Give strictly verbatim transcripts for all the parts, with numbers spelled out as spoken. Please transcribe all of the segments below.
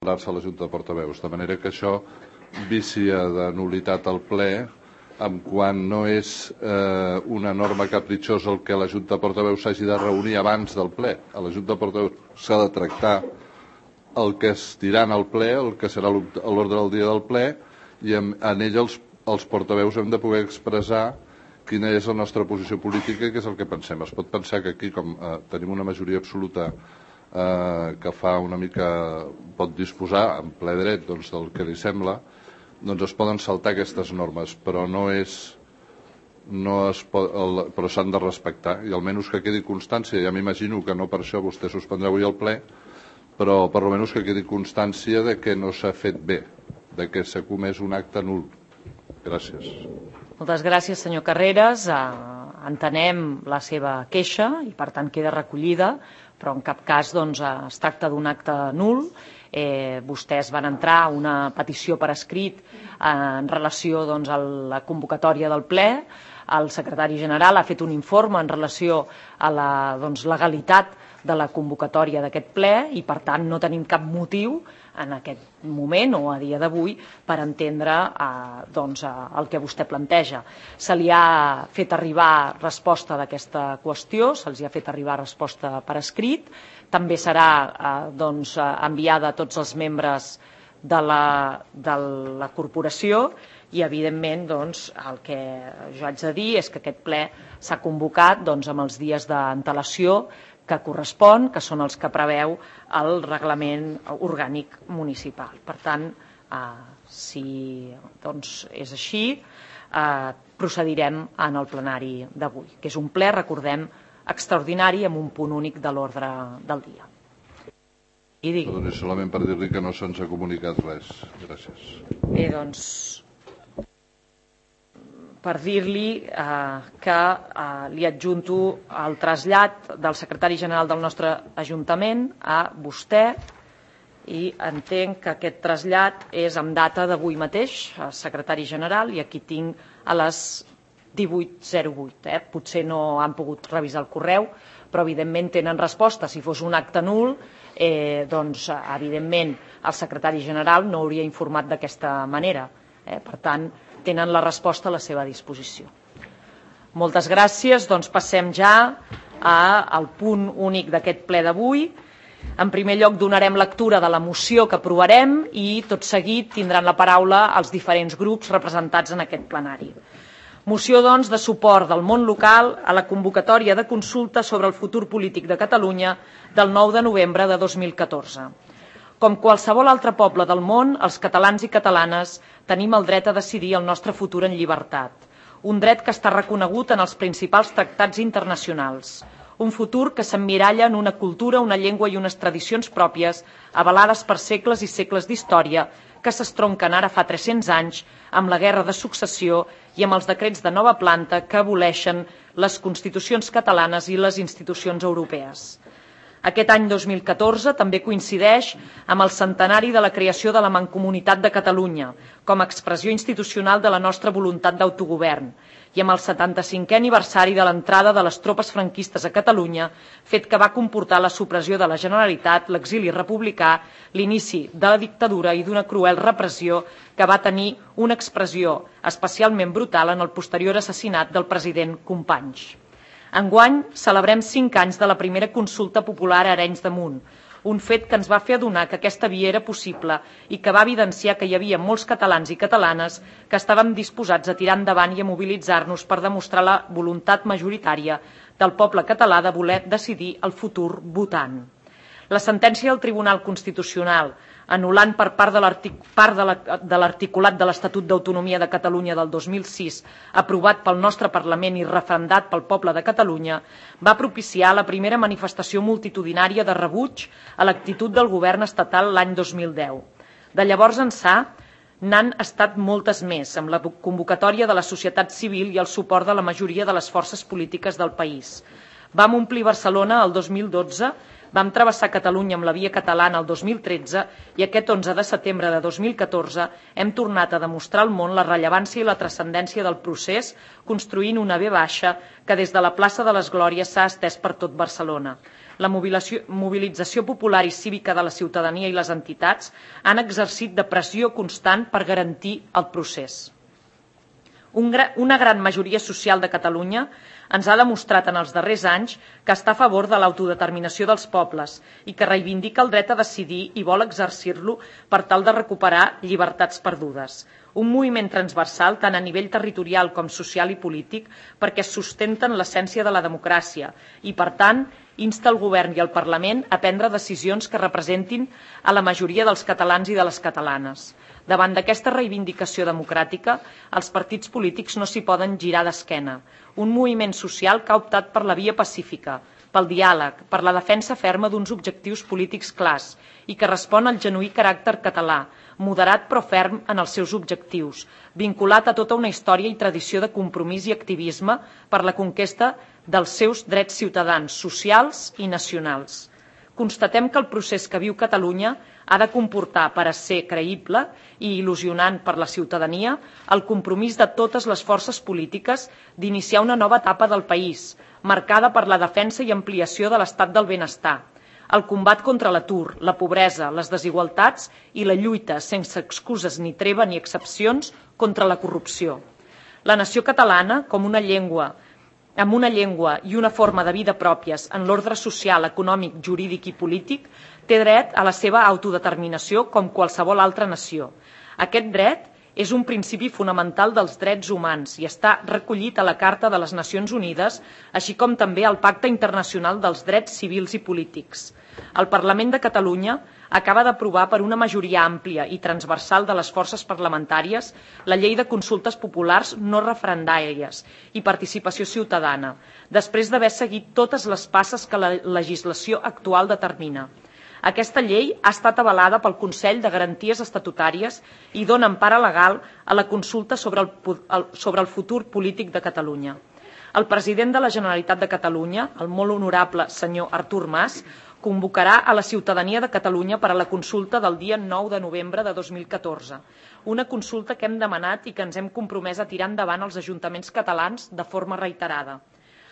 emprar-se a la Junta de Portaveus, de manera que això vicia de nul·litat al ple, en quan no és eh, una norma capritxosa el que la Junta de Portaveus s'hagi de reunir abans del ple. A la Junta de Portaveus s'ha de tractar el que es dirà en el ple, el que serà l'ordre del dia del ple, i en, en ell els, els portaveus hem de poder expressar quina és la nostra posició política i què és el que pensem. Es pot pensar que aquí, com eh, tenim una majoria absoluta eh, que fa una mica, pot disposar en ple dret doncs, del que li sembla, doncs es poden saltar aquestes normes, però no és no es pot, el, però s'han de respectar, i almenys que quedi constància. Ja m'imagino que no per això vostè suspendrà avui el ple, però per almenys que quedi constància de que no s'ha fet bé, de que s'ha comès un acte nul. Gràcies. Moltes gràcies, senyor Carreras. Entenem la seva queixa i, per tant, queda recollida, però en cap cas doncs, es tracta d'un acte nul. Eh, vostès van entrar una petició per escrit en relació doncs, a la convocatòria del ple. El secretari general ha fet un informe en relació a la doncs, legalitat de la convocatòria d'aquest ple i, per tant, no tenim cap motiu en aquest moment o a dia d'avui per entendre eh, doncs, el que vostè planteja. Se li ha fet arribar resposta d'aquesta qüestió, se'ls ha fet arribar resposta per escrit, també serà eh, doncs, enviada a tots els membres de la, de la corporació i, evidentment, doncs, el que jo haig de dir és que aquest ple s'ha convocat doncs, amb els dies d'antelació que correspon, que són els que preveu el reglament orgànic municipal. Per tant, eh, si doncs, és així, eh, procedirem en el plenari d'avui, que és un ple, recordem, extraordinari amb un punt únic de l'ordre del dia. I digui. Perdoni, solament per dir-li que no se'ns ha comunicat res. Gràcies. Bé, doncs, per dir-li eh, que eh, li adjunto el trasllat del secretari general del nostre Ajuntament a vostè i entenc que aquest trasllat és amb data d'avui mateix, secretari general, i aquí tinc a les divuit zero vuit. Eh? Potser no han pogut revisar el correu, però evidentment tenen resposta. Si fos un acte nul, eh, doncs evidentment el secretari general no hauria informat d'aquesta manera. Eh? Per tant, tenen la resposta a la seva disposició. Moltes gràcies. Doncs passem ja al punt únic d'aquest ple d'avui. En primer lloc donarem lectura de la moció que aprovarem i tot seguit tindran la paraula els diferents grups representats en aquest plenari. Moció, doncs, de suport del món local a la convocatòria de consulta sobre el futur polític de Catalunya del nou de novembre de dos mil catorze. Com qualsevol altre poble del món, els catalans i catalanes tenim el dret a decidir el nostre futur en llibertat, un dret que està reconegut en els principals tractats internacionals, un futur que s'emmiralla en una cultura, una llengua i unes tradicions pròpies avalades per segles i segles d'història que s'estronquen ara fa tres-cents anys amb la guerra de successió i amb els decrets de nova planta que aboleixen les constitucions catalanes i les institucions europees. Aquest any dos mil catorze també coincideix amb el centenari de la creació de la Mancomunitat de Catalunya com a expressió institucional de la nostra voluntat d'autogovern i amb el setanta-cinquè aniversari de l'entrada de les tropes franquistes a Catalunya, fet que va comportar la supressió de la Generalitat, l'exili republicà, l'inici de la dictadura i d'una cruel repressió que va tenir una expressió especialment brutal en el posterior assassinat del president Companys. Enguany celebrem cinc anys de la primera consulta popular a Arenys de Munt, un fet que ens va fer adonar que aquesta via era possible i que va evidenciar que hi havia molts catalans i catalanes que estàvem disposats a tirar endavant i a mobilitzar-nos per demostrar la voluntat majoritària del poble català de voler decidir el futur votant. La sentència del Tribunal Constitucional, anul·lant per part de l'articulat de l'Estatut d'Autonomia de Catalunya del dos mil sis, aprovat pel nostre Parlament i referendat pel poble de Catalunya, va propiciar la primera manifestació multitudinària de rebuig a l'actitud del govern estatal l'any dos mil deu. De llavors ençà, n'han estat moltes més, amb la convocatòria de la societat civil i el suport de la majoria de les forces polítiques del país. Vam omplir Barcelona el dos mil dotze, vam travessar Catalunya amb la via catalana el dos mil tretze i aquest onze de setembre de dos mil catorze hem tornat a demostrar al món la rellevància i la transcendència del procés construint una ve baixa que des de la plaça de les Glòries s'ha estès per tot Barcelona. La mobilització popular i cívica de la ciutadania i les entitats han exercit de pressió constant per garantir el procés. Una gran majoria social de Catalunya ens ha demostrat en els darrers anys que està a favor de l'autodeterminació dels pobles i que reivindica el dret a decidir i vol exercir-lo per tal de recuperar llibertats perdudes. Un moviment transversal tant a nivell territorial com social i polític perquè sustenten l'essència de la democràcia i, per tant, insta el Govern i el Parlament a prendre decisions que representin a la majoria dels catalans i de les catalanes. Davant d'aquesta reivindicació democràtica, els partits polítics no s'hi poden girar d'esquena. Un moviment social que ha optat per la via pacífica, pel diàleg, per la defensa ferma d'uns objectius polítics clars i que respon al genuí caràcter català, moderat però ferm en els seus objectius, vinculat a tota una història i tradició de compromís i activisme per la conquesta dels seus drets ciutadans, socials i nacionals. Constatem que el procés que viu Catalunya ha de comportar, per a ser creïble i il·lusionant per la ciutadania, el compromís de totes les forces polítiques d'iniciar una nova etapa del país, marcada per la defensa i ampliació de l'estat del benestar, el combat contra l'atur, la pobresa, les desigualtats i la lluita, sense excuses ni treva ni excepcions, contra la corrupció. La nació catalana, com una llengua, amb una llengua i una forma de vida pròpies en l'ordre social, econòmic, jurídic i polític, té dret a la seva autodeterminació com qualsevol altra nació. Aquest dret és un principi fonamental dels drets humans i està recollit a la Carta de les Nacions Unides, així com també al Pacte Internacional dels Drets Civils i Polítics. El Parlament de Catalunya acaba d'aprovar per una majoria àmplia i transversal de les forces parlamentàries la Llei de Consultes Populars no referendàries i participació ciutadana, després d'haver seguit totes les passes que la legislació actual determina. Aquesta llei ha estat avalada pel Consell de Garanties Estatutàries i dona empara legal a la consulta sobre el, sobre el futur polític de Catalunya. El president de la Generalitat de Catalunya, el molt honorable senyor Artur Mas, convocarà a la ciutadania de Catalunya per a la consulta del dia nou de novembre de dos mil catorze. Una consulta que hem demanat i que ens hem compromès a tirar endavant als ajuntaments catalans de forma reiterada.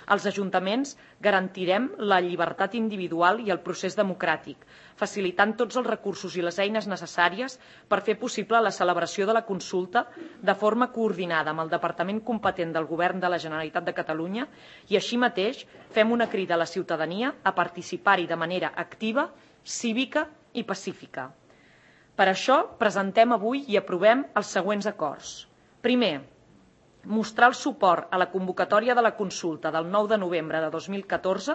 Als ajuntaments garantirem la llibertat individual i el procés democràtic, facilitant tots els recursos i les eines necessàries per fer possible la celebració de la consulta de forma coordinada amb el Departament competent del Govern de la Generalitat de Catalunya i així mateix fem una crida a la ciutadania a participar-hi de manera activa, cívica i pacífica. Per això presentem avui i aprovem els següents acords. Primer, mostrar el suport a la convocatòria de la consulta del nou de novembre de dos mil catorze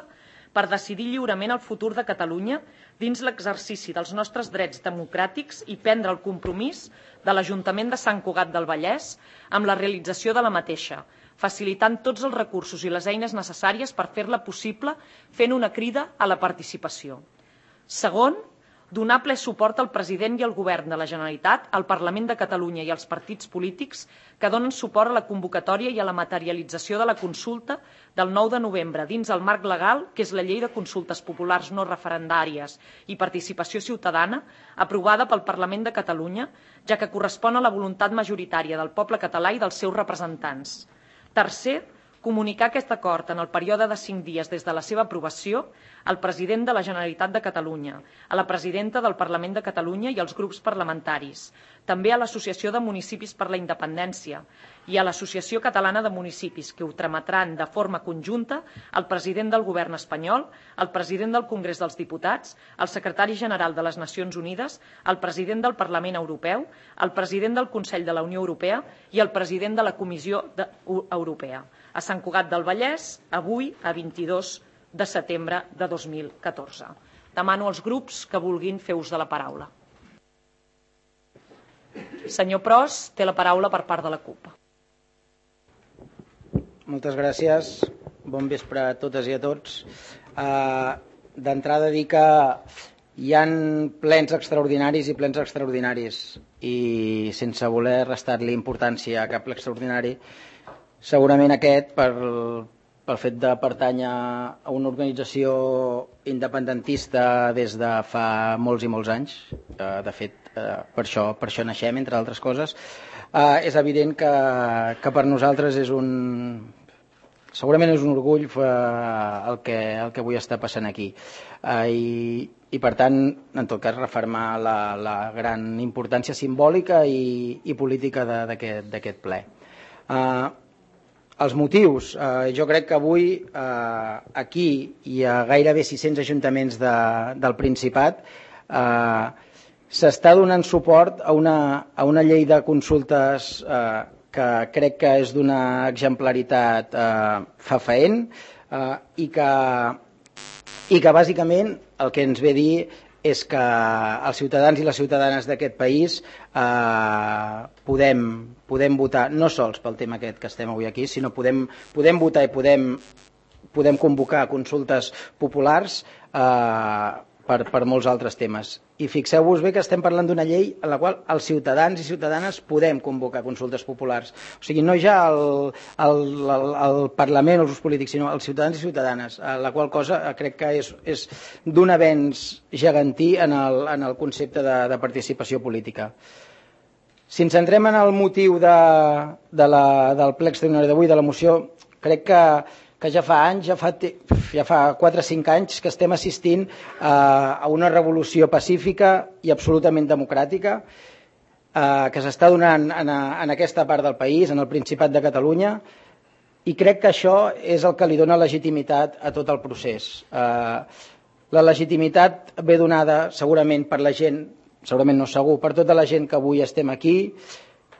per decidir lliurement el futur de Catalunya dins l'exercici dels nostres drets democràtics i prendre el compromís de l'Ajuntament de Sant Cugat del Vallès amb la realització de la mateixa, facilitant tots els recursos i les eines necessàries per fer-la possible fent una crida a la participació. Segon, donar ple suport al president i al govern de la Generalitat, al Parlament de Catalunya i als partits polítics que donen suport a la convocatòria i a la materialització de la consulta del nou de novembre dins el marc legal, que és la Llei de Consultes Populars no referendàries i participació ciutadana, aprovada pel Parlament de Catalunya, ja que correspon a la voluntat majoritària del poble català i dels seus representants. Tercer, comunicar aquest acord en el període de cinc dies des de la seva aprovació al president de la Generalitat de Catalunya, a la presidenta del Parlament de Catalunya i als grups parlamentaris, també a l'Associació de Municipis per la Independència i a l'Associació Catalana de Municipis, que ho trametran de forma conjunta al president del Govern espanyol, al president del Congrés dels Diputats, al secretari general de les Nacions Unides, al president del Parlament Europeu, al president del Consell de la Unió Europea i al president de la Comissió Europea. A Sant Cugat del Vallès, avui, a vint-i-dos de setembre de dos mil catorze. Demano als grups que vulguin fer ús de la paraula. Senyor Pros, té la paraula per part de la CUP. Moltes gràcies. Bon vespre a totes i a tots. Uh, D'entrada dir que hi ha plens extraordinaris i plens extraordinaris i sense voler restar-li importància a cap ple extraordinari, segurament aquest, per, pel fet de pertànyer a una organització independentista des de fa molts i molts anys, de fet, per això, per això naixem, entre altres coses, és evident que, que per nosaltres és un, segurament és un orgull el que, el que avui està passant aquí. Uh, i, I, per tant, en tot cas, refermar la, la gran importància simbòlica i, i política d'aquest ple. Uh, els motius, uh, jo crec que avui uh, aquí hi ha gairebé sis-cents ajuntaments de, del Principat, uh, s'està donant suport a una, a una llei de consultes uh, que crec que és d'una exemplaritat eh, fefaent eh, i, que, i que bàsicament el que ens ve a dir és que els ciutadans i les ciutadanes d'aquest país eh, podem, podem votar no sols pel tema aquest que estem avui aquí, sinó podem, podem votar i podem, podem convocar consultes populars eh, per, per molts altres temes. I fixeu-vos bé que estem parlant d'una llei en la qual els ciutadans i ciutadanes podem convocar consultes populars. O sigui, no ja el, el, el, el Parlament o els polítics, sinó els ciutadans i ciutadanes, la qual cosa crec que és, és d'un avenç gegantí en el, en el concepte de, de participació política. Si ens centrem en el motiu de, de la, del ple extraordinari d'avui, de la moció, crec que que ja fa anys, ja fa, ja fa quatre o cinc anys que estem assistint a, a una revolució pacífica i absolutament democràtica eh, que s'està donant en, a, en aquesta part del país, en el Principat de Catalunya, i crec que això és el que li dona legitimitat a tot el procés. Eh, la legitimitat ve donada segurament per la gent, segurament no segur, per tota la gent que avui estem aquí,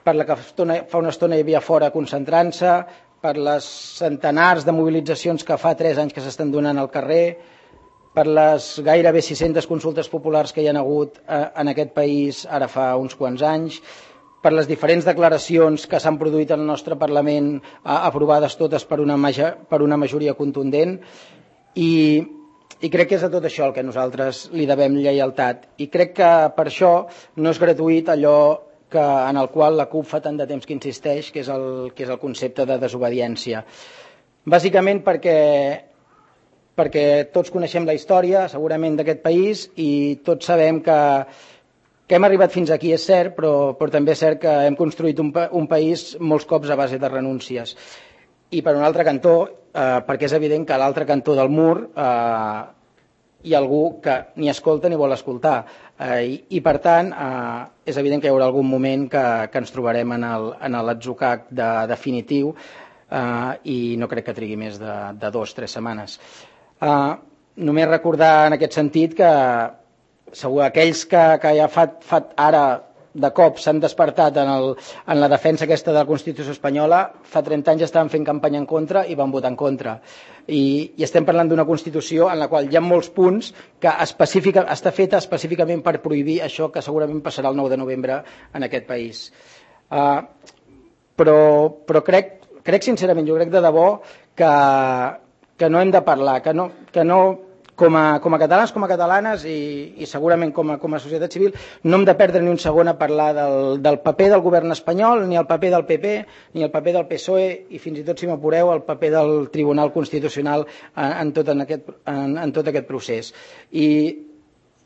per la que fa una estona hi havia fora concentrant-se, per les centenars de mobilitzacions que fa tres anys que s'estan donant al carrer, per les gairebé sis-centes consultes populars que hi ha hagut en aquest país ara fa uns quants anys, per les diferents declaracions que s'han produït al nostre Parlament, aprovades totes per una, per una majoria contundent, i, i crec que és a tot això el que nosaltres li devem lleialtat. I crec que per això no és gratuït allò que, en el qual la CUP fa tant de temps que insisteix, que és el, que és el concepte de desobediència. Bàsicament perquè, perquè tots coneixem la història, segurament, d'aquest país, i tots sabem que, que hem arribat fins aquí, és cert, però, però també és cert que hem construït un, un país molts cops a base de renúncies. I per un altre cantó, eh, perquè és evident que a l'altre cantó del mur eh, hi ha algú que ni escolta ni vol escoltar. Eh, i, I, per tant, eh, és evident que hi haurà algun moment que, que ens trobarem en l'atzucac de, definitiu eh, i no crec que trigui més de, de dos o tres setmanes. Eh, només recordar en aquest sentit que segur aquells que, que ja fa, fa ara de cop s'han despertat en, el, en la defensa aquesta de la Constitució espanyola, fa trenta anys estaven fent campanya en contra i van votar en contra. I, i estem parlant d'una Constitució en la qual hi ha molts punts que específica, està feta específicament per prohibir això que segurament passarà el nou de novembre en aquest país. Uh, però però crec, crec sincerament, jo crec de debò que, que no hem de parlar, que no... Que no Com a, com a catalans, com a catalanes i, i segurament com a, com a societat civil, no hem de perdre ni un segon a parlar del, del paper del govern espanyol, ni el paper del P P, ni el paper del P S O E i fins i tot, si m'apureu, el paper del Tribunal Constitucional en, en, tot, en, aquest, en, en tot aquest procés. I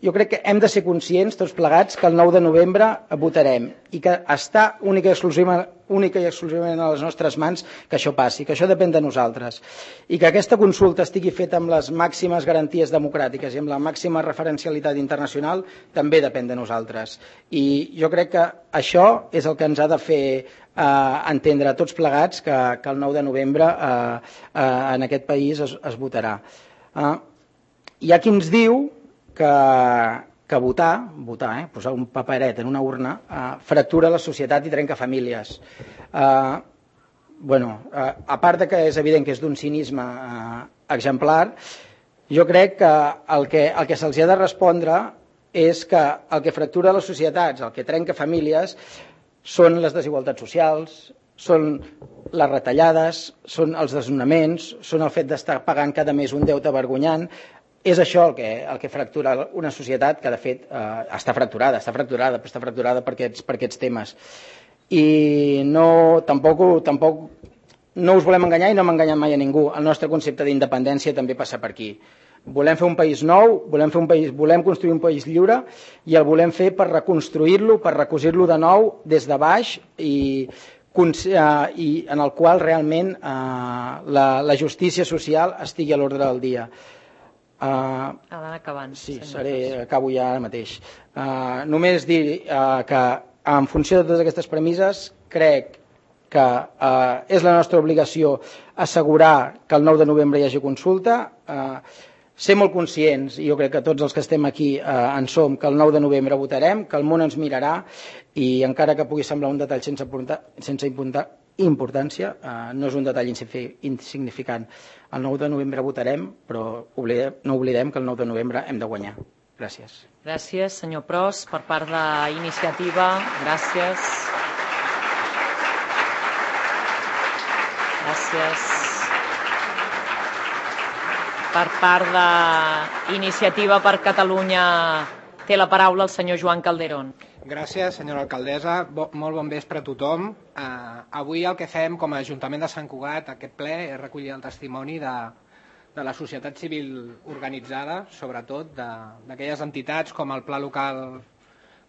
jo crec que hem de ser conscients, tots plegats, que el nou de novembre votarem i que està única i exclusivament, única i exclusivament a les nostres mans que això passi, que això depèn de nosaltres i que aquesta consulta estigui feta amb les màximes garanties democràtiques i amb la màxima referencialitat internacional també depèn de nosaltres. I jo crec que això és el que ens ha de fer eh, entendre a tots plegats que, que el nou de novembre eh, eh, en aquest país es, es votarà. Eh, hi ha qui ens diu que, que votar, votar eh, posar un paperet en una urna, eh, fractura la societat i trenca famílies. Eh, bueno, eh, a part de que és evident que és d'un cinisme eh, exemplar, jo crec que el que, el que se'ls ha de respondre és que el que fractura les societats, el que trenca famílies, són les desigualtats socials, són les retallades, són els desnonaments, són el fet d'estar pagant cada mes un deute vergonyant. És això el que, el que fractura una societat que, de fet, eh, està fracturada, està fracturada, però està fracturada per aquests, per aquests temes. I no, tampoc, tampoc no us volem enganyar i no hem enganyat mai a ningú. El nostre concepte d'independència també passa per aquí. Volem fer un país nou, volem, fer un país, volem construir un país lliure i el volem fer per reconstruir-lo, per recosir-lo de nou des de baix i i en el qual realment la justícia social estigui a l'ordre del dia. Ha d'anar acabant. Sí, seré, acabo ja ara mateix. Només dir que en funció de totes aquestes premisses crec que és la nostra obligació assegurar que el nou de novembre hi hagi consulta, ser molt conscients, i jo crec que tots els que estem aquí en som, que el nou de novembre votarem, que el món ens mirarà i encara que pugui semblar un detall sense importància, no és un detall insignificant. El nou de novembre votarem, però no oblidem que el nou de novembre hem de guanyar. Gràcies. Gràcies, senyor Pros. Per part d'Iniciativa, gràcies. Gràcies. Per part d'Iniciativa per Catalunya té la paraula el senyor Joan Calderón. Gràcies, senyora alcaldessa. Molt bon vespre a tothom. Avui el que fem com a Ajuntament de Sant Cugat, aquest ple, és recollir el testimoni de, de la societat civil organitzada, sobretot d'aquelles entitats com el Pla Local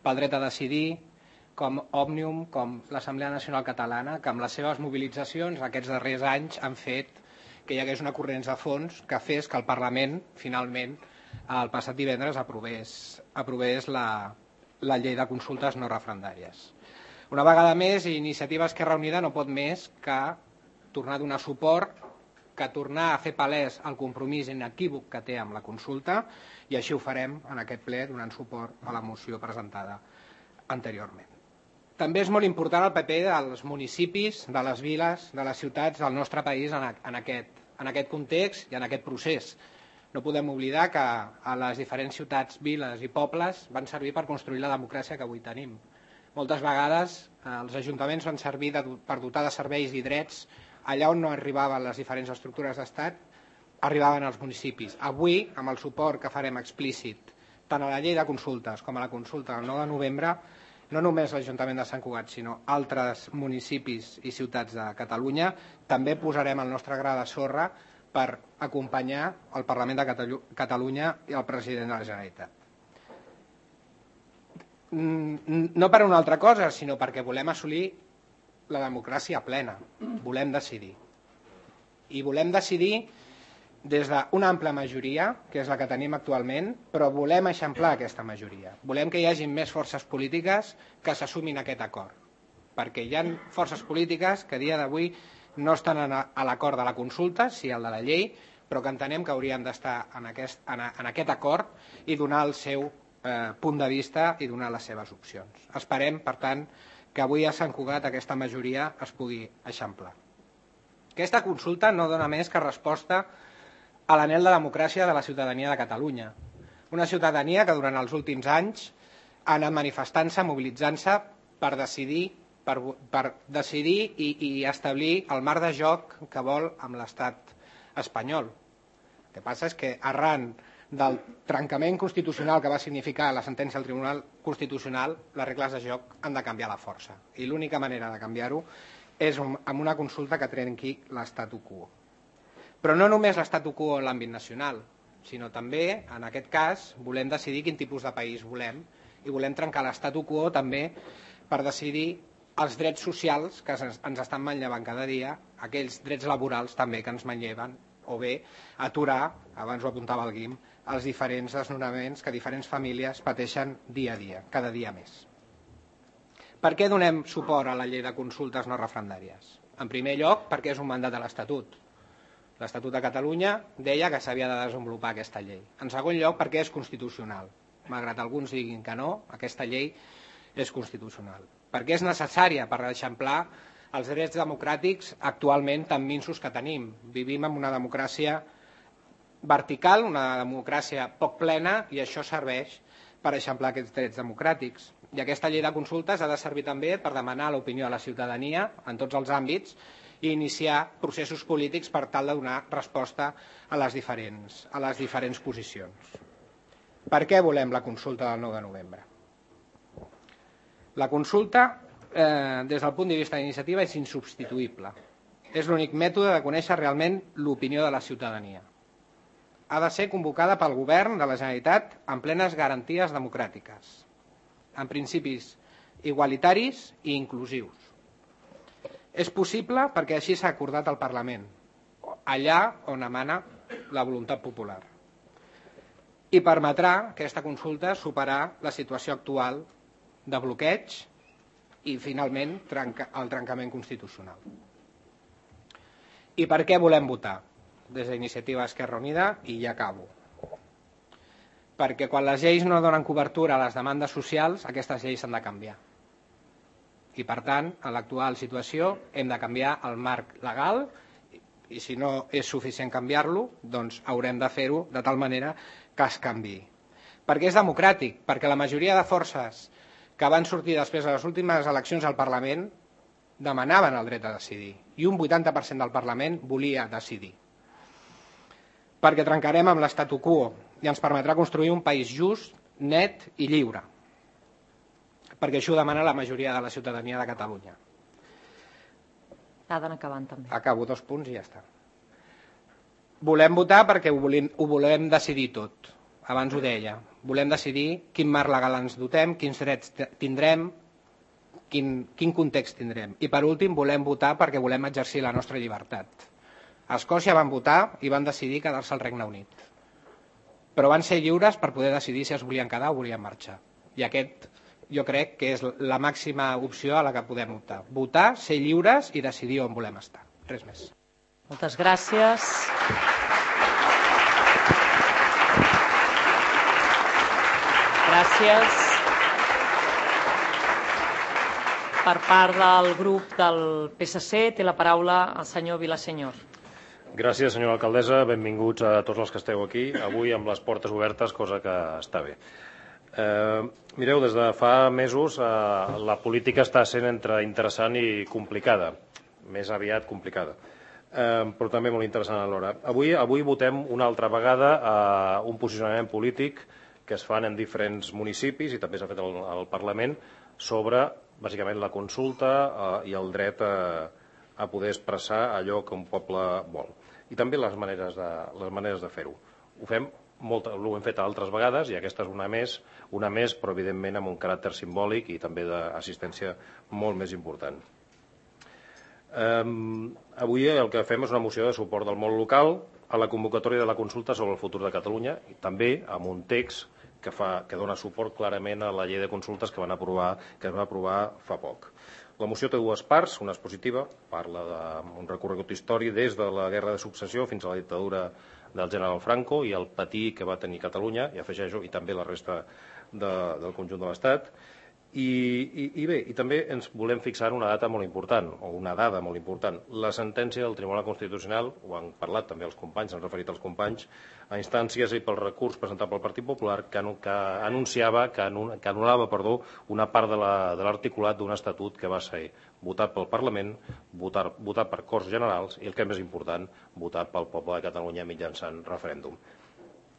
pel Dret a Decidir, com Òmnium, com l'Assemblea Nacional Catalana, que amb les seves mobilitzacions aquests darrers anys han fet que hi hagués una corrents de fons que fes que el Parlament, finalment, el passat divendres aprovés, aprovés la, la llei de consultes no referendàries. Una vegada més, Iniciativa Esquerra Unida no pot més que tornar a donar suport, que tornar a fer palès el compromís inequívoc que té amb la consulta, i així ho farem en aquest ple donant suport a la moció presentada anteriorment. També és molt important el paper dels municipis, de les viles, de les ciutats del nostre país en aquest, en aquest context i en aquest procés. No podem oblidar que a les diferents ciutats, viles i pobles van servir per construir la democràcia que avui tenim. Moltes vegades els ajuntaments van servir per dotar de serveis i drets allà on no arribaven les diferents estructures d'estat, arribaven als municipis. Avui, amb el suport que farem explícit tant a la llei de consultes com a la consulta del nou de novembre, no només l'Ajuntament de Sant Cugat, sinó altres municipis i ciutats de Catalunya, també posarem el nostre gra de sorra per acompanyar el Parlament de Catalunya i el president de la Generalitat. No per una altra cosa, sinó perquè volem assolir la democràcia plena, volem decidir. I volem decidir des d'una àmplia majoria, que és la que tenim actualment, però volem eixamplar aquesta majoria. Volem que hi hagi més forces polítiques que s'assumin aquest acord, perquè hi ha forces polítiques que a dia d'avui no estan a l'acord de la consulta, sí al de la llei, però que entenem que haurien d'estar en aquest, en aquest acord i donar el seu eh, punt de vista i donar les seves opcions. Esperem, per tant, que avui a Sant Cugat aquesta majoria es pugui eixamplar. Aquesta consulta no dona més que resposta a l'anhel de democràcia de la ciutadania de Catalunya. Una ciutadania que durant els últims anys ha anat manifestant-se, mobilitzant-se per decidir, per, per decidir i, i establir el marc de joc que vol amb l'estat espanyol. El que passa és que arran del trencament constitucional que va significar la sentència del Tribunal Constitucional, les regles de joc han de canviar la força. I l'única manera de canviar-ho és amb una consulta que trenqui l'statu quo. Però no només l'statu quo en l'àmbit nacional, sinó també, en aquest cas, volem decidir quin tipus de país volem i volem trencar l'statu quo també per decidir els drets socials que ens estan manllevant cada dia, aquells drets laborals també que ens manlleven, o bé aturar, abans ho apuntava el Guim, els diferents desnonaments que diferents famílies pateixen dia a dia, cada dia més. Per què donem suport a la llei de consultes no referendàries? En primer lloc, perquè és un mandat de l'Estatut. L'Estatut de Catalunya deia que s'havia de desenvolupar aquesta llei. En segon lloc, perquè és constitucional. Malgrat alguns diguin que no, aquesta llei és constitucional. Perquè és necessària per eixamplar els drets democràtics actualment tan minsos que tenim. Vivim en una democràcia vertical, una democràcia poc plena, i això serveix per eixamplar aquests drets democràtics. I aquesta llei de consultes ha de servir també per demanar l'opinió a la ciutadania en tots els àmbits i iniciar processos polítics per tal de donar resposta a les diferents, a les diferents posicions. Per què volem la consulta del nou de novembre? La consulta, eh, des del punt de vista d'iniciativa, és insubstituïble. És l'únic mètode de conèixer realment l'opinió de la ciutadania. Ha de ser convocada pel govern de la Generalitat amb plenes garanties democràtiques, amb principis igualitaris i inclusius. És possible perquè així s'ha acordat al Parlament, allà on emana la voluntat popular. I permetrà aquesta consulta superar la situació actual de bloqueig i, finalment, el trencament constitucional. I per què volem votar? Des d'Iniciativa Esquerra Unida, i ja acabo. Perquè quan les lleis no donen cobertura a les demandes socials, aquestes lleis s'han de canviar. I, per tant, en l'actual situació hem de canviar el marc legal i, si no és suficient canviar-lo, doncs haurem de fer-ho de tal manera que es canviï. Perquè és democràtic, perquè la majoria de forces que van sortir després de les últimes eleccions al Parlament demanaven el dret a decidir, i un vuitanta per cent del Parlament volia decidir. Perquè trencarem amb l'statu quo i ens permetrà construir un país just, net i lliure. Perquè això ho demana la majoria de la ciutadania de Catalunya. Ha d'anar acabant, també. Acabo, dos punts i ja està. Volem votar perquè ho volem, ho volem decidir tot. Abans ho deia. Volem decidir quin marc legal ens dotem, quins drets tindrem, quin, quin context tindrem. I, per últim, volem votar perquè volem exercir la nostra llibertat. A Escòcia van votar i van decidir quedar-se al Regne Unit. Però van ser lliures per poder decidir si es volien quedar o volien marxar. I aquest, jo crec que és la màxima opció a la que podem optar. Votar, ser lliures i decidir on volem estar. Res més. Moltes gràcies. Gràcies. Per part del grup del P S C té la paraula el senyor Vilaseñor. Gràcies, senyora alcaldessa. Benvinguts a tots els que esteu aquí, avui amb les portes obertes, cosa que està bé. Eh, mireu, des de fa mesos eh, la política està sent entre interessant i complicada, més aviat complicada, eh, però també molt interessant alhora. Avui, avui votem una altra vegada eh, un posicionament polític que es fan en diferents municipis i també s'ha fet al, al Parlament sobre, bàsicament, la consulta eh, i el dret a, a poder expressar allò que un poble vol. I també les maneres de, les maneres de fer-ho. Ho fem Molt, ho hem fet altres vegades i aquesta és una més, una més, però evidentment amb un caràcter simbòlic i també d'assistència molt més important. Um, avui el que fem és una moció de suport del món local a la convocatòria de la consulta sobre el futur de Catalunya i també amb un text que, fa, que dona suport clarament a la llei de consultes que, van aprovar, que es va aprovar fa poc. La moció té dues parts, una és positiva, parla d'un recorregut històric des de la Guerra de Successió fins a la dictadura del general Franco i el patir que va tenir Catalunya, i afegeixo, i també la resta de, del conjunt de l'Estat. I, i, I bé, i també ens volem fixar una data molt important, o una dada molt important. La sentència del Tribunal Constitucional, ho han parlat també els companys, s'han referit als companys, a instàncies i pel recurs presentat pel Partit Popular que, que anunciava, que, anul, que anul·lava perdó, una part de l'articulat d'un estatut que va ser votat pel Parlament, votar, votat per Corts Generals i, el que és més important, votat pel poble de Catalunya mitjançant referèndum.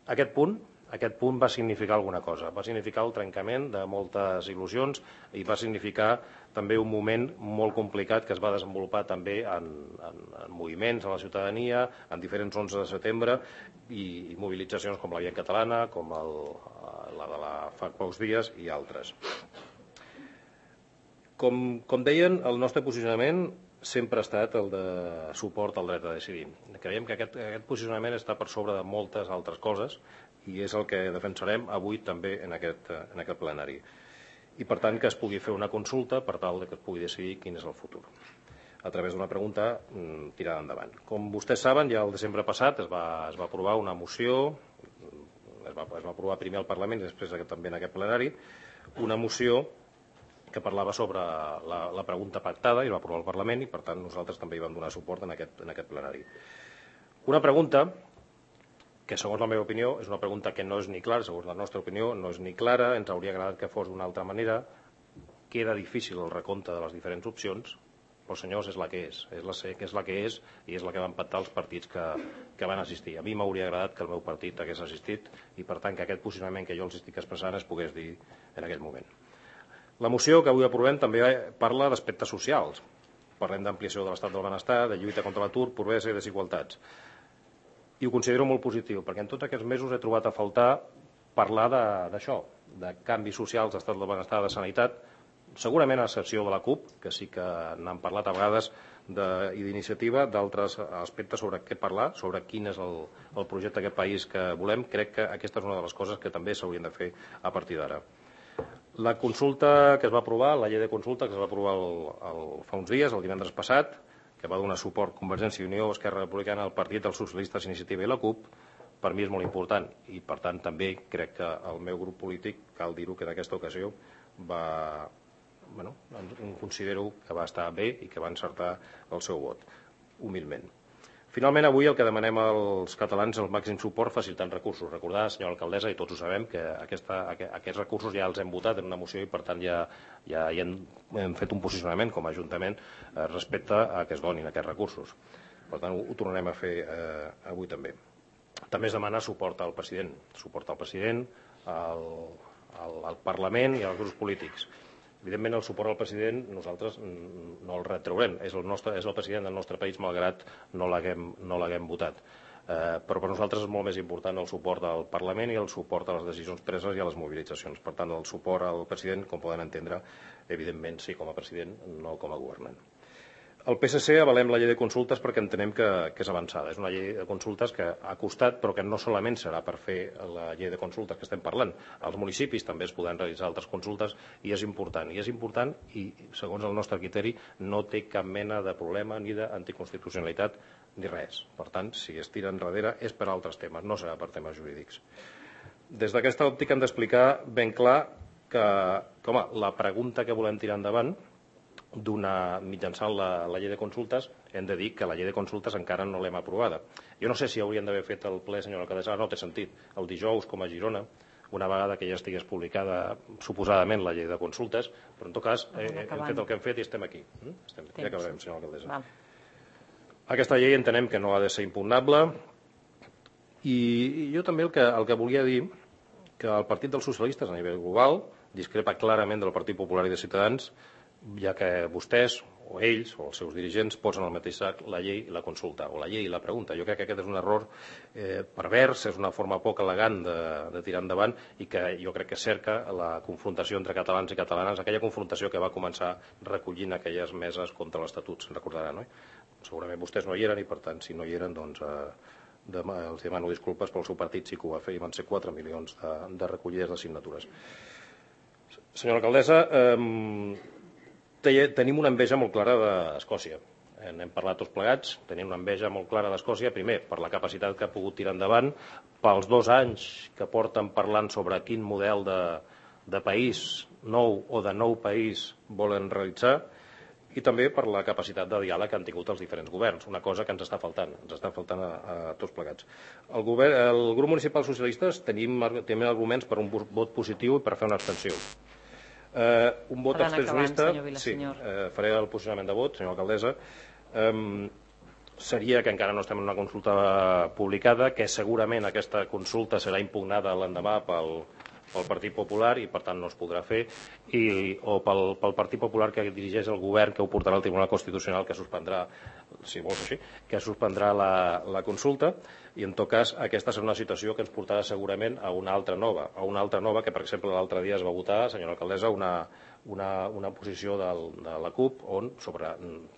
Aquest punt Aquest punt va significar alguna cosa, va significar el trencament de moltes il·lusions i va significar també un moment molt complicat que es va desenvolupar també en, en, en moviments a la ciutadania, en diferents onze de setembre i, i mobilitzacions com la Via Catalana, com el, la de la fa pocs dies i altres. Com, com deien, el nostre posicionament sempre ha estat el de suport al dret a decidir. Creiem que aquest, aquest posicionament està per sobre de moltes altres coses i és el que defensarem avui també en aquest, en aquest plenari. I, per tant, que es pugui fer una consulta per tal que es pugui decidir quin és el futur, a través d'una pregunta mmm, tirada endavant. Com vostès saben, ja el desembre passat es va, es va aprovar una moció, es va, es va aprovar primer al Parlament i després també en aquest plenari, una moció que parlava sobre la, la pregunta pactada i va aprovar el Parlament i, per tant, nosaltres també hi vam donar suport en aquest, en aquest plenari. Una pregunta que, segons la meva opinió, és una pregunta que no és ni clara, segons la nostra opinió, no és ni clara, ens hauria agradat que fos d'una altra manera, queda difícil el recompte de les diferents opcions, però, senyors, és la que és, és la, és la que és i és la que van pactar els partits que, que van assistir. A mi m'hauria agradat que el meu partit hagués assistit i, per tant, que aquest posicionament que jo els estic expressant es pogués dir en aquell moment. La moció que avui aprovem també parla d'aspectes socials. Parlem d'ampliació de l'estat del benestar, de lluita contra l'atur, pobresa i desigualtats. I ho considero molt positiu, perquè en tots aquests mesos he trobat a faltar parlar d'això, de, de canvis socials, d'estat del benestar, de sanitat, segurament a excepció de la CUP, que sí que n'han parlat a vegades i d'iniciativa, d'altres aspectes sobre què parlar, sobre quin és el, el projecte d'aquest país que volem. Crec que aquesta és una de les coses que també s'haurien de fer a partir d'ara. La consulta que es va aprovar, la llei de consulta que es va aprovar el, el, fa uns dies, el divendres passat, que va donar suport Convergència i Unió, Esquerra Republicana, el Partit dels Socialistes, Iniciativa i la CUP, per mi és molt important i, per tant, també crec que el meu grup polític, cal dir-ho que en aquesta ocasió, va, bueno, considero que va estar bé i que va encertar el seu vot, humilment. Finalment, avui el que demanem als catalans és el màxim suport facilitant recursos. Recordar, senyora alcaldessa, i tots ho sabem, que aquesta, aquests recursos ja els hem votat en una moció i, per tant, ja, ja, ja hem, hem fet un posicionament com a Ajuntament eh, respecte a que es donin aquests recursos. Per tant, ho, ho tornarem a fer eh, avui també. També es demana suport al president, suport al president, al, al, al Parlament i als grups polítics. Evidentment, el suport al president nosaltres no el retraurem. És el, nostre, és el president del nostre país, malgrat no l'haguem no l'haguem votat. Eh, però per nosaltres és molt més important el suport al Parlament i el suport a les decisions preses i a les mobilitzacions. Per tant, el suport al president, com poden entendre, evidentment sí com a president, no com a governant. El P S C avalem la llei de consultes perquè entenem que, que és avançada. És una llei de consultes que ha costat, però que no solament serà per fer la llei de consultes que estem parlant. Als municipis també es podran realitzar altres consultes i és important. I és important i, segons el nostre criteri, no té cap mena de problema ni d'anticonstitucionalitat ni res. Per tant, si es tira enrere és per altres temes, no serà per temes jurídics. Des d'aquesta òptica hem d'explicar ben clar que, que home, la pregunta que volem tirar endavant d'una mitjançant la, la llei de consultes, hem de dir que la llei de consultes encara no l'hem aprovada. Jo no sé si haurien d'haver fet el ple, senyora alcaldessa, no té sentit. El dijous, com a Girona, una vegada que ja estigués publicada suposadament la llei de consultes, però en tot cas eh, hem fet el que hem fet i estem aquí. Estem, ja acabarem, senyora alcaldessa. Val. Aquesta llei entenem que no ha de ser impugnable i jo també el que, el que volia dir que el Partit dels Socialistes a nivell global discrepa clarament del Partit Popular i de Ciutadans, ja que vostès o ells o els seus dirigents posen al mateix sac la llei i la consulta, o la llei i la pregunta. Jo crec que aquest és un error eh, pervers, és una forma poc elegant de, de tirar endavant i que jo crec que cerca la confrontació entre catalans i catalanes, aquella confrontació que va començar recollint aquelles meses contra l'Estatut, se'n recordaran, no? Segurament vostès no hi eren i, per tant, si no hi eren, doncs eh, demà, els demano disculpes, però el seu partit sí que ho va fer i van ser quatre milions de, de recollides de signatures. Senyora alcaldessa, eh, tenim una enveja molt clara d'Escòcia. N'hem parlat tots plegats, tenim una enveja molt clara d'Escòcia, primer, per la capacitat que ha pogut tirar endavant, pels dos anys que porten parlant sobre quin model de, de país nou o de nou país volen realitzar, i també per la capacitat de diàleg que han tingut els diferents governs, una cosa que ens està faltant, ens està faltant a, a tots plegats. El, govern, el grup municipal socialistes tenim, tenim arguments per un vot positiu i per fer una abstenció. Uh, un vot abstencionista, sí, uh, faré el posicionament de vot, senyora alcaldessa, um, seria que encara no estem en una consulta publicada, que segurament aquesta consulta serà impugnada l'endemà pel, pel Partit Popular i per tant no es podrà fer, i, o pel, pel Partit Popular que dirigeix el govern, que ho portarà al Tribunal Constitucional, que suspendrà, si vols així, que suspendrà la, la consulta, i en tot cas aquesta serà una situació que ens portarà segurament a una altra nova, a una altra nova que per exemple l'altre dia es va votar, senyora alcaldessa, una, una, una posició del, de la CUP on sobre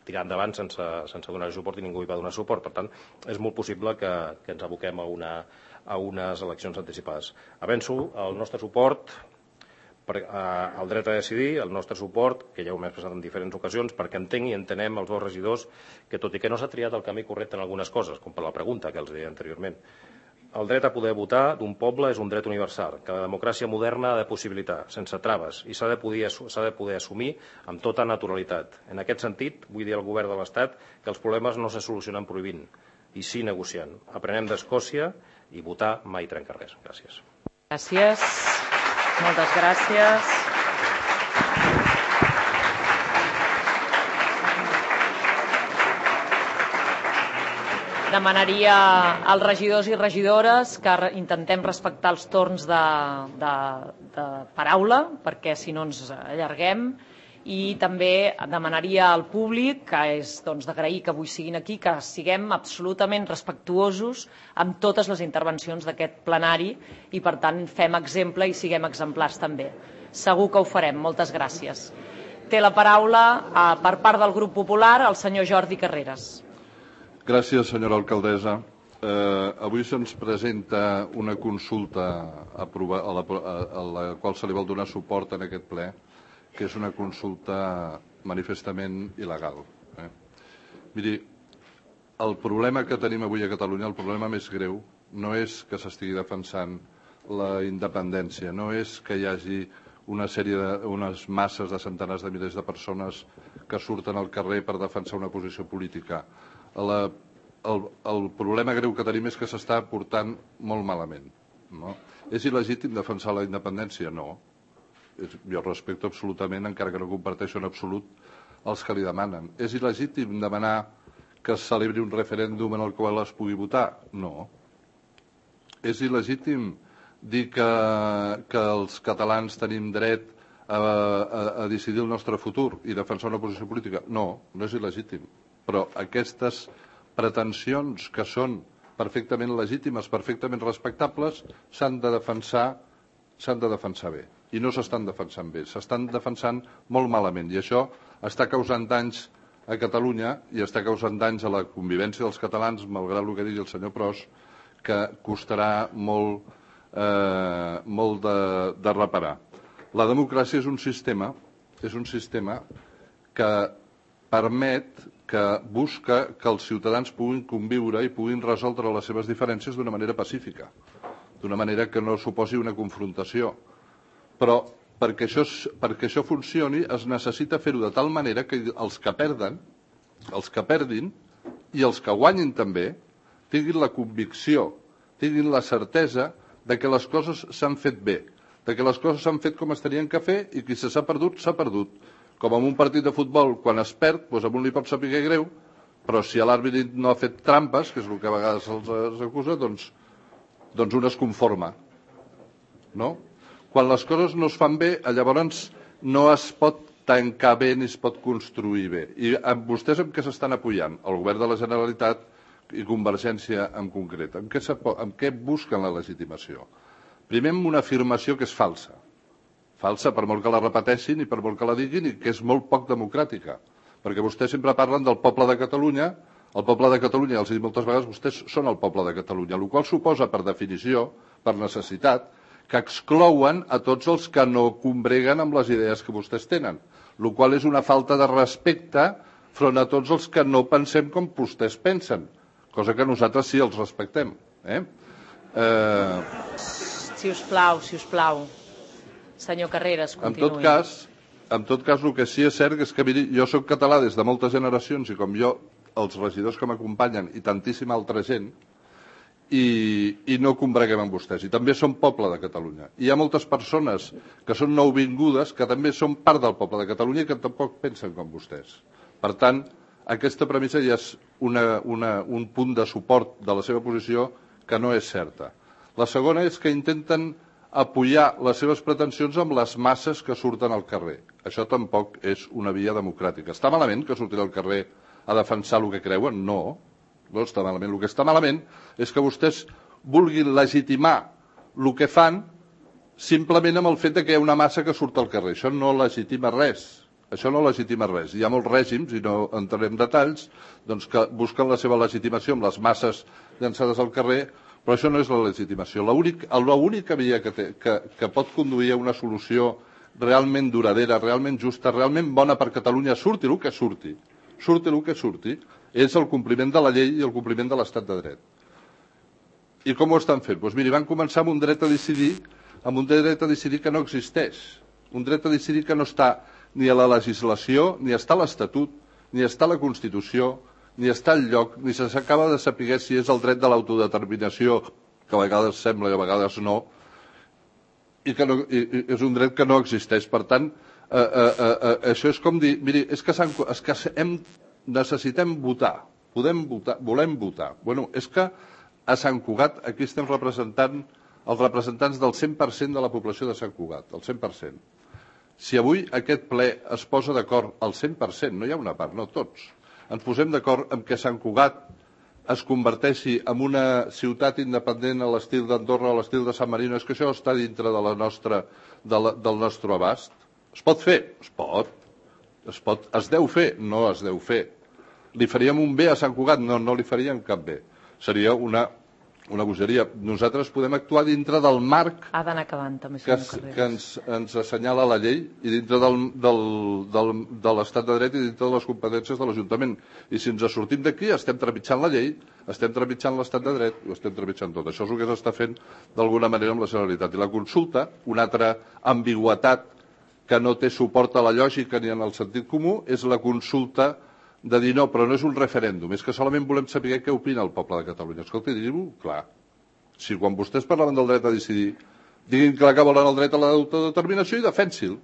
tirar endavant sense, sense donar suport i ningú hi va donar suport. Per tant, és molt possible que, que ens aboquem a, una, a unes eleccions anticipades. Avenço el nostre suport per, a, al dret a decidir, el nostre suport, que ja ho hem expressat en diferents ocasions, perquè entenc i entenem els dos regidors que, tot i que no s'ha triat el camí correcte en algunes coses, com per la pregunta que els deia anteriorment, el dret a poder votar d'un poble és un dret universal, que la democràcia moderna ha de possibilitar, sense traves, i s'ha de, poder, s'ha de poder assumir amb tota naturalitat. En aquest sentit, vull dir al govern de l'Estat que els problemes no se solucionen prohibint, i sí negociant. Aprenem d'Escòcia i votar mai trenca res. Gràcies. Gràcies. Moltes gràcies. Demanaria als regidors i regidores que intentem respectar els torns de, de, de paraula, perquè si no ens allarguem, i també demanaria al públic, que és doncs, d'agrair que avui siguin aquí, que siguem absolutament respectuosos amb totes les intervencions d'aquest plenari i, per tant, fem exemple i siguem exemplars també. Segur que ho farem. Moltes gràcies. té la paraula per part del grup popular el senyor Jordi Carreras. Gràcies, senyora alcaldessa. Eh, avui se'ns presenta una consulta a, a, la, a la qual se li vol donar suport en aquest ple, que és una consulta manifestament il·legal. Eh? Miri, el problema que tenim avui a Catalunya, el problema més greu, no és que s'estigui defensant la independència, no és que hi hagi una sèrie de, unes masses de centenars de milers de persones que surten al carrer per defensar una posició política. La, el, el problema greu que tenim és que s'està portant molt malament. No? És il·legítim defensar la independència? No. És, jo respecto absolutament, encara que no comparteixo en absolut, els que li demanen. És il·legítim demanar que es celebri un referèndum en el qual es pugui votar? No. És il·legítim dir que, que els catalans tenim dret a, a, a decidir el nostre futur i defensar una posició política? No, no és il·legítim. Però aquestes pretensions que són perfectament legítimes, perfectament respectables, s'han de defensar, s'han de defensar bé. I no s'estan defensant bé, s'estan defensant molt malament. I això està causant danys a Catalunya i està causant danys a la convivència dels catalans, malgrat el que digui el senyor Pros, que costarà molt, eh, molt de, de reparar. La democràcia és un sistema, és un sistema que permet, que busca que els ciutadans puguin conviure i puguin resoldre les seves diferències d'una manera pacífica, d'una manera que no suposi una confrontació. Però perquè això, perquè això funcioni es necessita fer-ho de tal manera que els que perden, els que perdin i els que guanyin també, tinguin la convicció, tinguin la certesa de que les coses s'han fet bé, de que les coses s'han fet com es tenien que fer i qui s'ha perdut, s'ha perdut. Com en un partit de futbol, quan es perd, doncs a un li pot saber greu, però si l'àrbitre no ha fet trampes, que és el que a vegades se'ls acusa, doncs, doncs un es conforma. No? Quan les coses no es fan bé, llavors no es pot tancar bé ni es pot construir bé. I amb vostès amb què s'estan apoyant? El govern de la Generalitat i Convergència en concret. Amb què, amb què busquen la legitimació? Primer amb una afirmació que és falsa. Falsa per molt que la repeteixin i per molt que la diguin i que és molt poc democràtica. Perquè vostès sempre parlen del poble de Catalunya, el poble de Catalunya, els he dit moltes vegades, vostès són el poble de Catalunya, el qual suposa per definició, per necessitat, que exclouen a tots els que no combreguen amb les idees que vostès tenen, el qual és una falta de respecte front a tots els que no pensem com vostès pensen, cosa que nosaltres sí els respectem. Eh? Eh... Si us plau, si us plau. Senyor Carreras, continuï. En tot cas, en tot cas, el que sí és cert és que miri, jo soc català des de moltes generacions i com jo, els regidors que m'acompanyen i tantíssima altra gent, i, i no combreguem amb vostès. I també som poble de Catalunya. I hi ha moltes persones que són nouvingudes que també són part del poble de Catalunya i que tampoc pensen com vostès. Per tant, aquesta premissa ja és una, una, un punt de suport de la seva posició que no és certa. La segona és que intenten apoyar les seves pretensions amb les masses que surten al carrer. Això tampoc és una via democràtica. Està malament que surtin al carrer a defensar el que creuen? No. No està malament. El que està malament és que vostès vulguin legitimar el que fan simplement amb el fet que hi ha una massa que surt al carrer. Això no legitima res. Això no legitima res. Hi ha molts règims, i no entrarem en detalls, doncs que busquen la seva legitimació amb les masses llançades al carrer, però això no és la legitimació. L'única via que, té, que, que pot conduir a una solució realment duradera, realment justa, realment bona per Catalunya, surti el que surti, surti el que surti, és el compliment de la llei i el compliment de l'estat de dret. I com ho estan fent? Doncs miri, van començar amb un dret a decidir, amb un dret a decidir que no existeix, un dret a decidir que no està ni a la legislació, ni està a l'Estatut, ni està a la Constitució, ni està al lloc, ni s'acaba de saber si és el dret de l'autodeterminació, que a vegades sembla i a vegades no, i que no, i, i és un dret que no existeix. Per tant, eh, eh, eh, això és com dir, miri, és que, és que hem, necessitem votar, podem votar, volem votar. Bueno, és que a Sant Cugat aquí estem representant els representants del cent per cent de la població de Sant Cugat, el cent per cent. Si avui aquest ple es posa d'acord al cent per cent, no hi ha una part, no tots, ens posem d'acord en que Sant Cugat es converteixi en una ciutat independent a l'estil d'Andorra, a l'estil de San Marino, és que això està dintre de la nostra, de la, del nostre abast. Es pot fer? Es pot. Es, pot, es deu fer? No es deu fer. Li faríem un bé a Sant Cugat? No, no li faríem cap bé. Seria una, una bogeria. Nosaltres podem actuar dintre del marc ha d'anar acabant, també, que, es, que ens, ens assenyala la llei i dintre del, del, del, de l'estat de dret i dintre de les competències de l'Ajuntament. I si ens sortim d'aquí, estem trepitjant la llei, estem trepitjant l'estat de dret, ho estem trepitjant tot. Això és el que s'està fent d'alguna manera amb la Generalitat. I la consulta, una altra ambigüitat que no té suport a la lògica ni en el sentit comú, és la consulta de dir no, però no és un referèndum, és que solament volem saber què opina el poble de Catalunya. Escolta, diguin-ho clar. Si quan vostès parlaven del dret a decidir, diguin clar que volen el dret a l'autodeterminació i defensin-lo.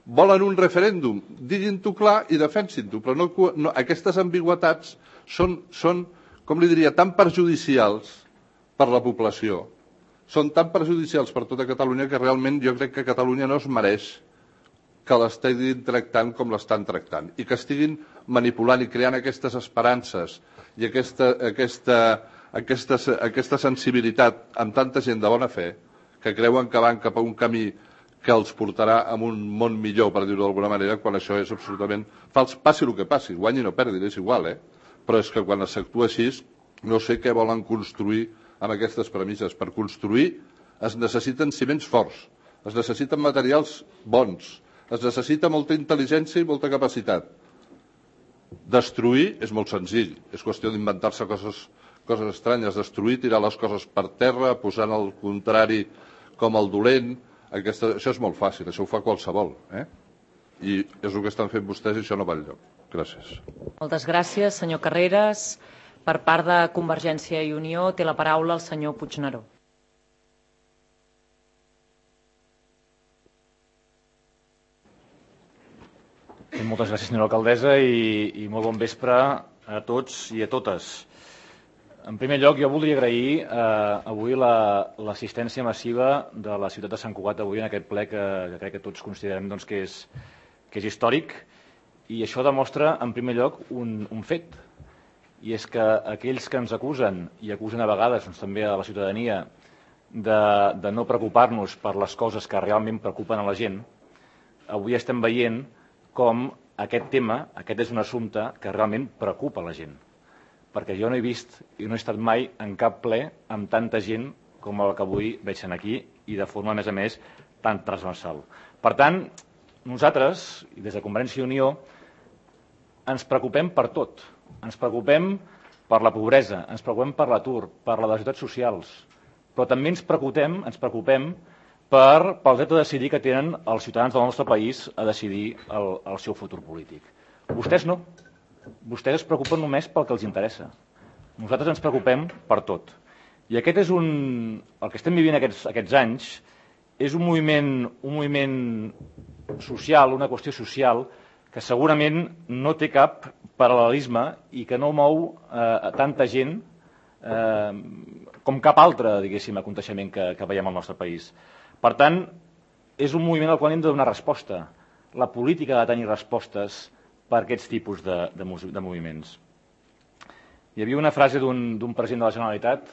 Volen un referèndum, diguin-ho clar i defensin-ho, però no, no, aquestes ambigüitats són, són, com li diria, tan perjudicials per la població, són tan perjudicials per tota Catalunya que realment jo crec que Catalunya no es mereix que l'estiguin tractant com l'estan tractant i que estiguin manipulant i creant aquestes esperances i aquesta, aquesta, aquesta, aquesta sensibilitat amb tanta gent de bona fe que creuen que van cap a un camí que els portarà a un món millor, per dir-ho d'alguna manera, quan això és absolutament fals. Passi el que passi, guanyi o perdi, és igual, eh? Però és que quan s'actua així no sé què volen construir amb aquestes premisses. Per construir es necessiten ciments forts, es necessiten materials bons, es necessita molta intel·ligència i molta capacitat. Destruir és molt senzill, és qüestió d'inventar-se coses, coses estranyes. Destruir, tirar les coses per terra, posant el contrari com el dolent, aquesta, això és molt fàcil, això ho fa qualsevol. Eh? I és el que estan fent vostès i això no va enlloc. Gràcies. Moltes gràcies, senyor Carreras. Per part de Convergència i Unió té la paraula el senyor Puigneró. Moltes gràcies, senyora alcaldessa, i, i molt bon vespre a tots i a totes. En primer lloc, jo voldria agrair eh, avui l'assistència la, massiva de la ciutat de Sant Cugat avui en aquest ple que, que crec que tots considerem doncs, que, és, que és històric, i això demostra, en primer lloc, un, un fet, i és que aquells que ens acusen, i acusen a vegades doncs, també a la ciutadania, de, de no preocupar-nos per les coses que realment preocupen a la gent, avui estem veient com aquest tema, aquest és un assumpte que realment preocupa la gent. Perquè jo no he vist i no he estat mai en cap ple amb tanta gent com el que avui veig aquí i de forma, a més a més, tan transversal. Per tant, nosaltres, i des de Convergència i Unió, ens preocupem per tot. Ens preocupem per la pobresa, ens preocupem per l'atur, per les desigualtats socials, però també ens preocupem, ens preocupem per, pel dret a decidir que tenen els ciutadans del nostre país a decidir el, el seu futur polític. Vostès no. Vostès es preocupen només pel que els interessa. Nosaltres ens preocupem per tot. I aquest és un... el que estem vivint aquests, aquests anys és un moviment, un moviment social, una qüestió social, que segurament no té cap paral·lelisme i que no mou eh, tanta gent eh, com cap altre, diguéssim, aconteixement que, que veiem al nostre país. Per tant, és un moviment al qual hem de donar resposta. La política ha de tenir respostes per aquests tipus de, de, de moviments. Hi havia una frase d'un president de la Generalitat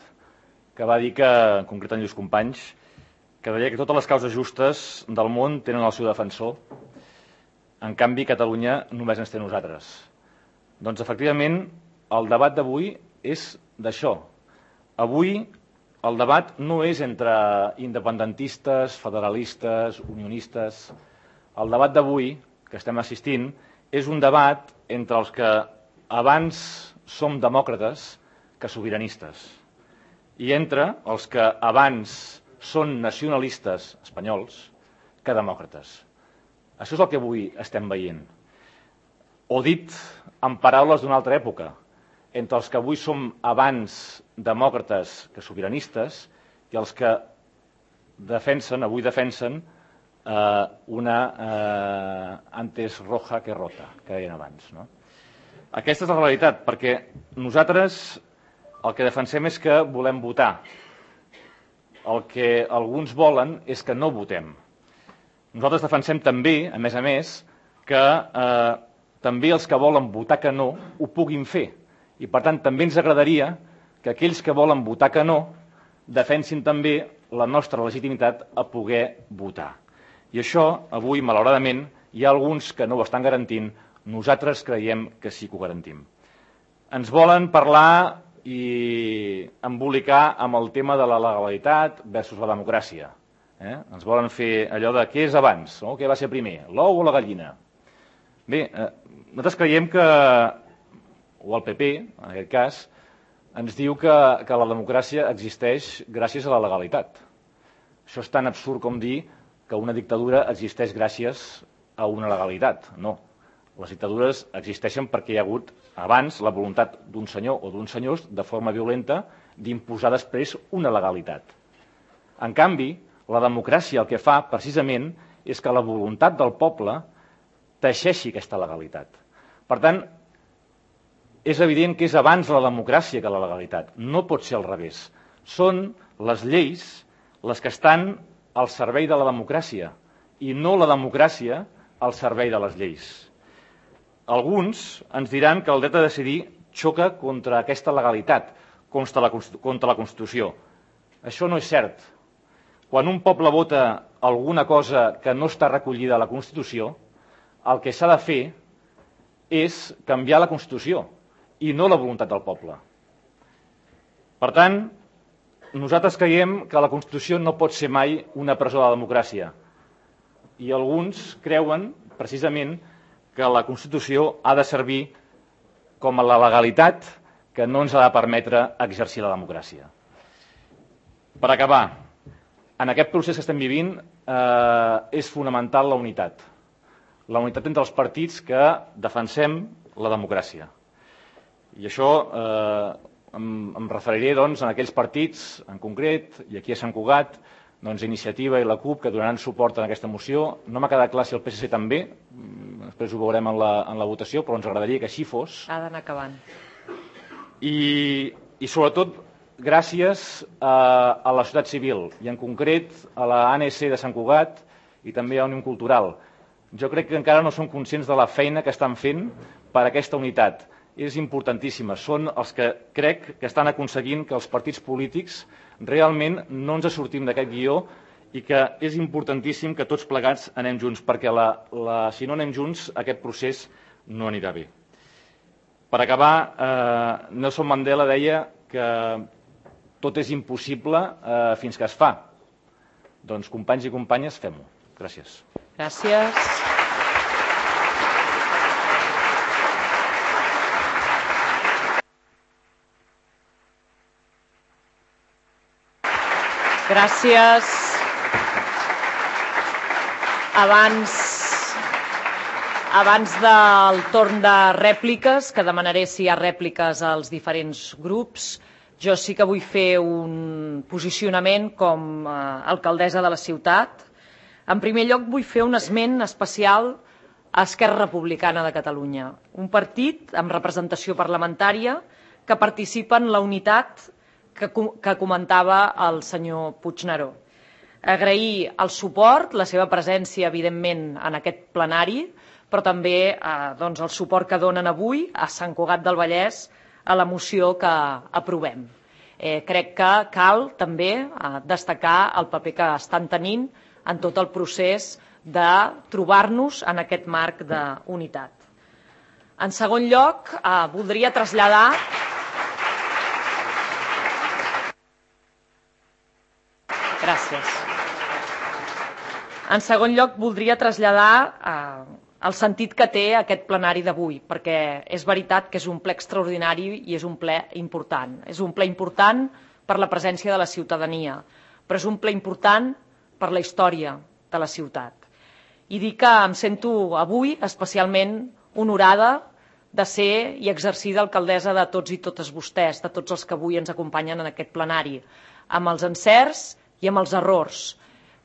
que va dir que, en concret en Lluís Companys, que deia que totes les causes justes del món tenen el seu defensor, en canvi Catalunya només ens té nosaltres. Doncs efectivament el debat d'avui és d'això. Avui el debat no és entre independentistes, federalistes, unionistes. El debat d'avui que estem assistint és un debat entre els que abans som demòcrates que sobiranistes i entre els que abans són nacionalistes espanyols que demòcrates. Això és el que avui estem veient. O dit en paraules d'una altra època, entre els que avui som abans demòcrates que sobiranistes i els que defensen, avui defensen eh, una eh, antes roja que rota, que deien abans. No? Aquesta és la realitat, perquè nosaltres el que defensem és que volem votar. El que alguns volen és que no votem. Nosaltres defensem també, a més a més, que eh, també els que volen votar que no ho puguin fer. I, per tant, també ens agradaria que aquells que volen votar que no defensin també la nostra legitimitat a poder votar. I això, avui, malauradament, hi ha alguns que no ho estan garantint, nosaltres creiem que sí que ho garantim. Ens volen parlar i embolicar amb el tema de la legalitat versus la democràcia. Eh? Ens volen fer allò de què és abans, no? Què va ser primer, l'ou o la gallina? Bé, eh, nosaltres creiem que, o el P P, en aquest cas, ens diu que, que la democràcia existeix gràcies a la legalitat. Això és tan absurd com dir que una dictadura existeix gràcies a una legalitat. No. Les dictadures existeixen perquè hi ha hagut abans la voluntat d'un senyor o d'uns senyors de forma violenta d'imposar després una legalitat. En canvi, la democràcia el que fa precisament és que la voluntat del poble teixeixi aquesta legalitat. Per tant, és evident que és abans la democràcia que la legalitat. No pot ser al revés. Són les lleis les que estan al servei de la democràcia i no la democràcia al servei de les lleis. Alguns ens diran que el dret a decidir xoca contra aquesta legalitat, contra la, contra la Constitució. Això no és cert. Quan un poble vota alguna cosa que no està recollida a la Constitució, el que s'ha de fer és canviar la Constitució i no la voluntat del poble. Per tant, nosaltres creiem que la Constitució no pot ser mai una presó de la democràcia. I alguns creuen, precisament, que la Constitució ha de servir com a la legalitat que no ens ha de permetre exercir la democràcia. Per acabar, en aquest procés que estem vivint eh, és fonamental la unitat. La unitat entre els partits que defensem la democràcia. I això eh, em, em referiré doncs, en aquells partits, en concret, i aquí a Sant Cugat, doncs, Iniciativa i la CUP, que donaran suport a aquesta moció. No m'ha quedat clar si el P S C també, després ho veurem en la, en la votació, però ens agradaria que així fos. Ha d'anar acabant. I, i sobretot, gràcies a, a la societat civil, i en concret a la A N C de Sant Cugat i també a Òmnium Cultural. Jo crec que encara no són conscients de la feina que estan fent per a aquesta unitat. És importantíssima. Són els que crec que estan aconseguint que els partits polítics realment no ens sortim d'aquest guió i que és importantíssim que tots plegats anem junts, perquè la, la, si no anem junts aquest procés no anirà bé. Per acabar, eh, Nelson Mandela deia que tot és impossible eh, fins que es fa. Doncs, companys i companyes, fem-ho. Gràcies. Gràcies. Gràcies. Abans, abans del torn de rèpliques, que demanaré si hi ha rèpliques als diferents grups, jo sí que vull fer un posicionament com a alcaldessa de la ciutat. En primer lloc, vull fer un esment especial a Esquerra Republicana de Catalunya, un partit amb representació parlamentària que participa en la unitat que, que comentava el senyor Puigneró. Agrair el suport, la seva presència, evidentment, en aquest plenari, però també eh, doncs, el suport que donen avui a Sant Cugat del Vallès a la moció que aprovem. Eh, crec que cal també eh, destacar el paper que estan tenint en tot el procés de trobar-nos en aquest marc d'unitat. En segon lloc, eh, voldria traslladar Gràcies. En segon lloc, voldria traslladar eh, el sentit que té aquest plenari d'avui, perquè és veritat que és un ple extraordinari i és un ple important. És un ple important per la presència de la ciutadania, però és un ple important per la història de la ciutat. I dir que em sento avui especialment honorada de ser i exercir d'alcaldessa de tots i totes vostès, de tots els que avui ens acompanyen en aquest plenari, amb els encerts i amb els errors,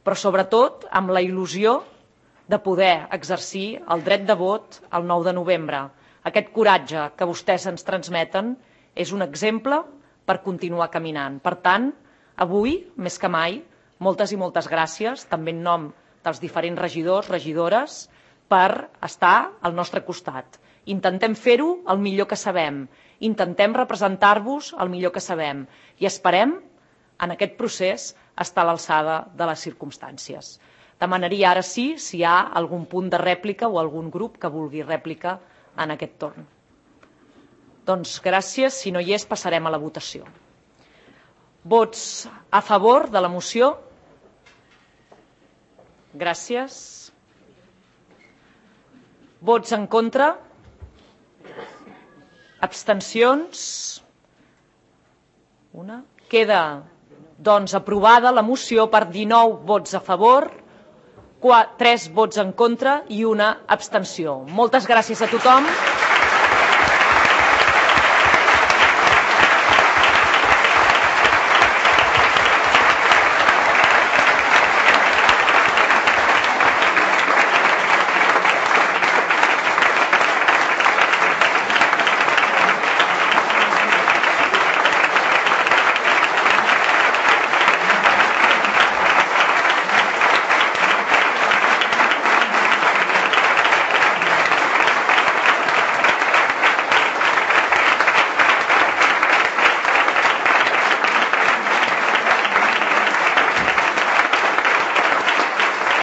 però sobretot amb la il·lusió de poder exercir el dret de vot el nou de novembre. Aquest coratge que vostès ens transmeten és un exemple per continuar caminant. Per tant, avui, més que mai, moltes i moltes gràcies, també en nom dels diferents regidors, regidores, per estar al nostre costat. Intentem fer-ho el millor que sabem, intentem representar-vos el millor que sabem i esperem, en aquest procés, estar a l'alçada de les circumstàncies. Demanaria ara sí si hi ha algun punt de rèplica o algun grup que vulgui rèplica en aquest torn. Doncs gràcies. Si no hi és, passarem a la votació. Vots a favor de la moció? Gràcies. Vots en contra? Abstencions? Una. Queda, doncs, aprovada la moció per dinou vots a favor, tres vots en contra i una abstenció. Moltes gràcies a tothom.